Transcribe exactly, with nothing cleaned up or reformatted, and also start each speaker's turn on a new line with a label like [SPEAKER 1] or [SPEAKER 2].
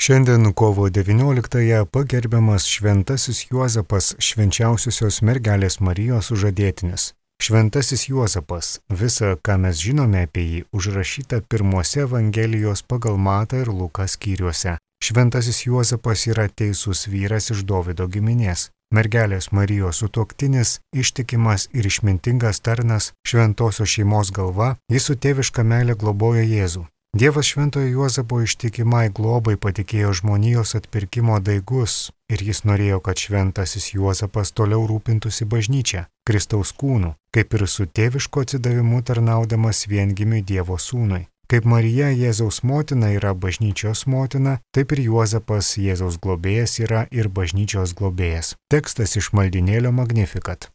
[SPEAKER 1] Šiandien kovo devynioliktąją pagerbiamas šventasis Juozapas, švenčiausiosios mergelės Marijos sužadėtinis. Šventasis Juozapas, visa, ką mes žinome apie jį, užrašyta pirmuose Evangelijos pagal Matą ir Luką skyriuose. Šventasis Juozapas yra teisus vyras iš Dovydo giminės. Mergelės Marijos sutuoktinis, ištikimas ir išmintingas tarnas, šventosios šeimos galva, jis su tėviška meile globoja Jėzų. Dievas šventojo Juozapo ištikimai globai patikėjo žmonijos atpirkimo daigus ir jis norėjo, kad šventasis Juozapas toliau rūpintųsi bažnyčia, Kristaus kūnu, kaip ir su tėvišku atsidavimu tarnaudamas viengimiui Dievo sūnui. Kaip Marija Jėzaus motina yra bažnyčios motina, taip ir Juozapas Jėzaus globėjas yra ir bažnyčios globėjas. Tekstas iš maldynėlio Magnificat.